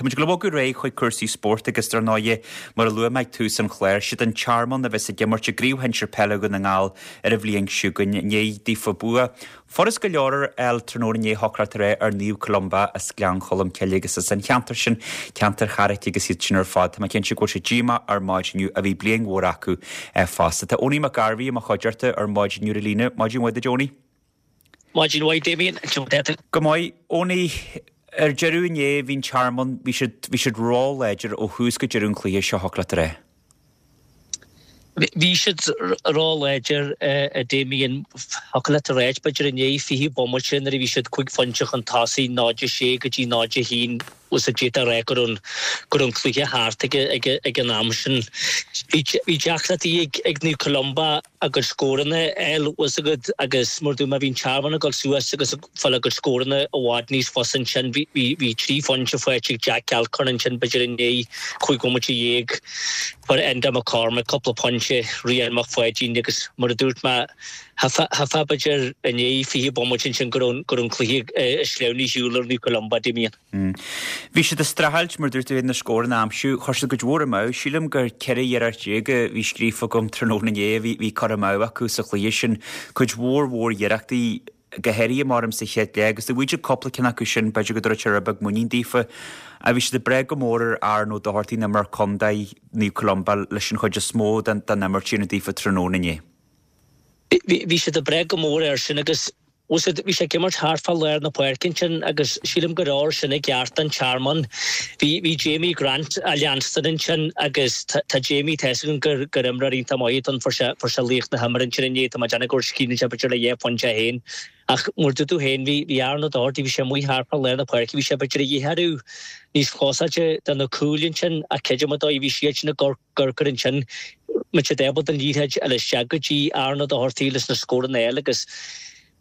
Tá muid ag dul a bhogadh ar aghaidh chuig cúrsaí spóirt agus dar ndóighe, mar a luaigh mé ag tús an chláir, siad an Tearmann a bheas ag imirt i gCraobh Shinsir Peile Dhún na nGall ar an bhliain seo chugainn i ndiaidh daofa bua furast go leor a fháil tráthnóna inné thiocfadh leat a rá ar Naomh Columba as Gleann Cholm Cille agus as an cheantar sin, ceantar Charraic agus iad sin ar fad. Tá mé cinnte go bhfuil siad díomách ar maidin inniu ach bhí bliain mhór acu fosta. Tá Owenie Mac Gairbhí i mo chuideachta ar maidin inniu ar an líne. Maidin mhaith duit Owenie. Maidin mhaith Damien, cad é tú? Go maith. Owenie, ar deireadh inné bhí an Tearmann, bhí siad, bhí siad ró-láidir ó thús go deireadh an chluiche seo thiocfadh leat a rá. Bhí siad ró-láidir, a Damien. Thiocfadh leat a ráit, b'fhéidir, i ndiaidh 20 bomaite nuair a bhí siad 5 phointe chun tosaigh, 0-6 go dtí 0-1, bhfuil a fhios agat d'fhéadfá a rá go raibh an cluiche thart ag an am sin. Bhí deacrachtaí ag Naomh Columba a gcuid scóranna a fháil, bhfuil a fhios agat, agus mar a dúirt mé, bhí an Tearmann ag dul suas agus ag fáil a gcuid scóranna i bhfad níos fusa ansin. Bhí, bhí 3 phointe faighte ag Jack Alcorn ansin, b'fhéidir i ndiaidh 15 bhomaite. Fuair Enda McCormack cúpla pointe, Rian Mac Pháidín agus mar a dúirt mé, cheapfá b'fhéidir i ndiaidh 20 bomaite ansin go raibh, go raibh an cluiche sleamhnaithe ar shiúl ar Naomh Columba, Damien. Bhí siad ag streachailt, mar dúirt tú, na scóranna a aimsiú. Chuir siad cuid mhór amú. Sílim gur 14 iarracht a bhí scríofa agam tráthnóna inné a bhí curtha amú acu sa chluiche sin. Cuid mhór mhór iarrachtaí, go háirithe maram sa chéad leath, agus dá bhfaigheadh siad cúpla ceann acu sin, b'fhéidir go dtabharfadh sé rud beag muinín daofa. Ach bhí siad ag breith go mór ar Aaron Ó Dochartaigh, an imreoir contae, Naomh Columba, leis an chuid is mó den imirt a dhéanamh daofa tráthnóna inné. Bhí siad ag breith go mór air sin agus Bhí sé ag imirt thart fá lár na páirce ansin agus sílim gur fhóir sin i gceart don Tearmann. Bhí bhí Jamie Grant á leanstan ansin agus tá Jamie tá fhios againn gur gur imreoir iontach maith atá ann fuair sé fuair sé laoch na himeartha ansin inné tá mé ag déanamh gur chríochnaigh sé b'fhéidir le dhá phointe é féin. Ach mar dúirt tú féin bhí bhí Aaron Ó Dochartaigh bhí sé amuigh thart fá lár na páirce bhí sé b'fhéidir a dhíchearú níos closáilte do na cúil ansin ach creidim a dóigh bhí siad sin ag gur ansin muid siad ábalta an liathróid a fháil isteach go dtí Aaron Ó Dochartaigh leis na scóranna a fháil agus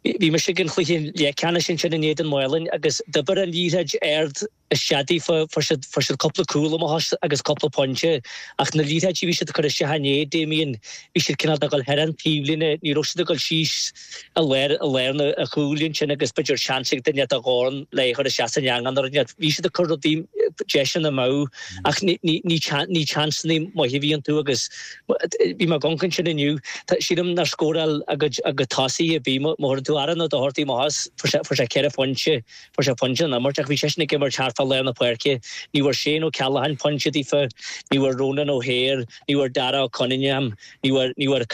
bhí mise ag an chluiche leathcheannais ansin in éadan Mhálainn agus d'oibir an liathróid ard isteach daofa, fuair siad, fuair siad cúpla cúl amach agus cúpla pointe ach na liathróidí a bhí siad ag cur isteach inné, Damien, bhí siad cineál de dhul thar an taobhlíne, ní raibh siad ag dul síos i lár, i lár na chúil ansin agus b'fhéidir seans ag duine de dhorn le é a chur isteach san eangach nó rud inteacht. Bhí siad ag cur rudaí, deiseanna amú ach ní, ní, ní, ní seansanna maithe a bhí iontu agus bhí mé ag amharc ansin inniu, sílim nár scóráil a gcuid, a gcuid tosaithe ar bith, má chuireann tú Aaron Ó Dochartaigh amach as, fuair sé, fuair sé 4 phointe, fuair sé pointe san imirt ach bhí seisean ag imirt thart fá lár na páirce. Ní bhfuair Shane Ó Ceallacháin pointe daofa, ní bhfuair Ronan O'Hare, ní bhfuair Dara Ó Cunningham, Ní bhfuair, ní bhfuair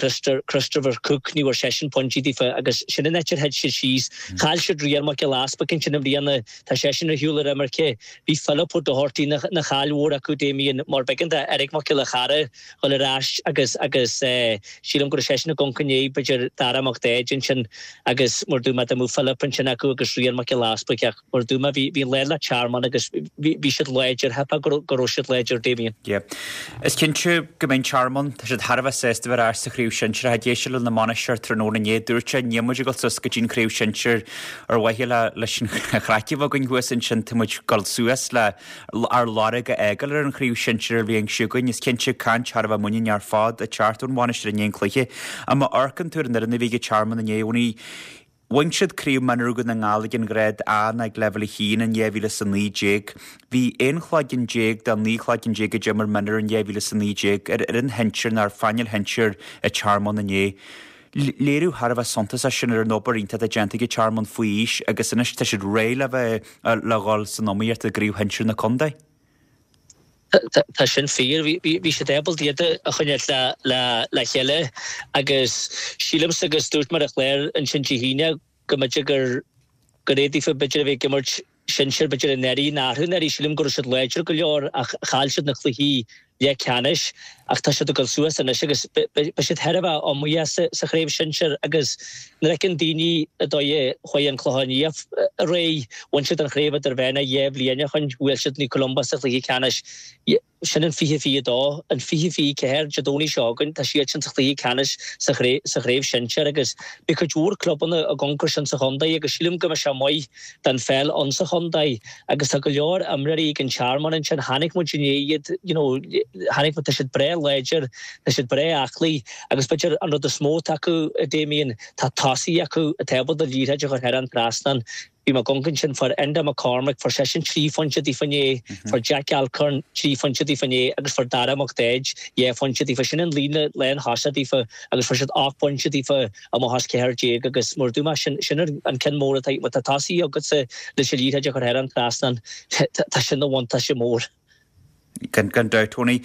Christopher Cooke, ní bhfuair seisean pointí daofa agus sin an áit ar thit siad síos. Chaill siad Rian Mac Giolla Easpaig ansin i mbliana, tá seisean ar shiúl ar imirce. Bhí Philip Ó Dochartaigh ina, ina chaill mhór acu Damien mar b'éigean do Eric Mac Giolla Chara dhul ar ais agus, agus eh sílim go raibh seisean ag amharc i ndiaidh b'fhéidir Dara Mac Daid ansin agus mar dúirt mé dá mbeadh Philip ansin acu agus Rian Mac Giolla Easpaig ach Mar a dúirt mé, bhí an lá le Tearmann agus bhí siad láidir, cheapfá go raibh siad láidir, Damien. Yeah. Is cinnte go mbeidh an Tearmann, tá siad thar a bheith sásta bheith ar ais sa Chraobh Shinsir. Ag éisteacht lena mbainisteoir tráthnóna inné, dúirt sé, níl muid ag dul suas go dtí an Chraobh Shinsir ar mhaithe le leis an chraic a bheith againn thuas ansin, tá muid ag dul suas le ár lorg a fhágáil ar an Chraobh Shinsir an bhliain seo chugainn. Is cinnte caint thar a bheith muiníneach ar fad ag teacht ón bhainisteoir i ndiaidh an chluiche. Ach má amharcann tú ar an fhoireann a bhí ag an Tearmann inné, Owenie, Bhain siad Craobh Mionúir Dhún na nGall ag an ghrád A ná ag Leibhéal 1 in 2019. Bhí 11 chloigeann de 19 chloigeann a d'imir mionúir in 2019 ar fhoireann shinsir nó ar phainéal shinsir an Tearmann inné. Léiriú thar a bheith suntasach sin ar an obair iontach atá déanta ag an Tearmann faoi aois agus anois tá siad réidh le bheith le dhul san iomaíocht i gCraobh Shinsir na Contae. Tá sin fíor. Bhí siad ábalta iad a choinneáil le chéile agus sílimse agus dúirt mé ar an chlár ansin Dé hAoine go mb'fhéidir gur gur é daofa b'fhéidir a bheith ag imirt sinsir b'fhéidir anuraidh ná arú anuraidh. Sílim go raibh siad láidir go leor ach chaill siad na cluichí leathcheannais ach tá siad ag dul suas anois agus beidh siad thar a bheith iomaíoch sa chraobh shinsir agus nuair a fheiceann daoine an dóigh a chuaigh an Clochán Liath ar aghaidh, bhain siad an chraobh idirmheánach 2 bhliain ó shin, bhuail siad Naomh Columba sa chluiche ceannais, sin in 2022, in 2024, Dé Domhnaigh seo chugainn, tá siadsan sa chluiche ceannais sa chraobh shinsir agus beidh cuid mhór clubanna ag amharc air sin sa chontae agus sílim go mbeidh sé maith don pheil ann sa chontae agus tá go leor imreoirí ag an Tearmann ansin, chonaic muid inné iad, you know, chonaic muid, tá siad breá láidir, tá siad breá aclaí agus b'fhéidir an rud is mó atá acu, Damien, tá tosaithe acu atá ábalta liathróid a chur thar an trasnán. Bhí mé ag amharc ansin, fuair Enda McCormack, fuair seisean 3 phointe daofa inné, fuair Jack Alcorn 3 phointe daofa inné agus fuair Dara Mac Daid 2 phointe daofa. Sin an líne lánthosach daofa agus fuair siad 8 bpointe daofa amach as 14 agus mar a dúirt mé, sin sin an ceann mór atá, má tá tosaí agatsa leis an liathróid a chur thar an trasnán, tá sin ina bhuntáiste mór. Gan dabht, Tony.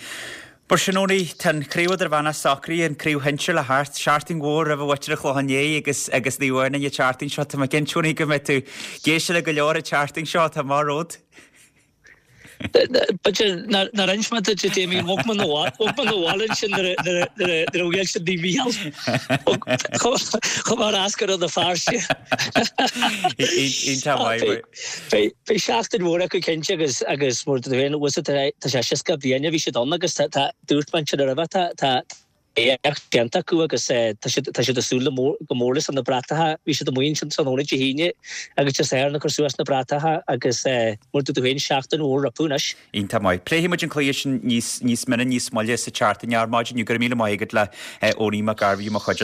Mar sin, Tony, tá an Chraobh Idirmheánach socraithe, an Craobh Shinsir le theacht, seachtain mhór roimh mhuintir an Chlocháin Léith agus agus Naomh Adhamhnáin an tseachtain seo. Tá mé cinnte, Tony, go mbeidh tú ag éisteacht le go leor an tseachtain seo, tá amach romhat. B'fhéidir nár inis mé duit, a Damien, bhog mé 'na bhaile ansin nuair a bhuail siad Naomh Mícheál. Chuaigh mé ar ais go Rann na Feirste. Iontach maith. Beidh seachtain mhór acu cinnte agus agus mar tú féin bhfuil tá sé 60 bliain a bhí siad ann agus tá dúirt mé ansin roimhe tá tá éacht déanta acu agus tá siad tá siad ag súil le mór go mór leis na bratacha bhí siad amuigh ansin tráthnóna Dé hAoine agus Dé Sathairn ag cur suas na bratacha agus mar dúirt tú féin seachtain mhór rompu anois. Iontach maith. Pléifidh muid an cluiche sin níos níos mine níos moille sa tseachtain ar maidin. Go raibh míle maith agat le Owenie Mac Gairbheith mo chuid.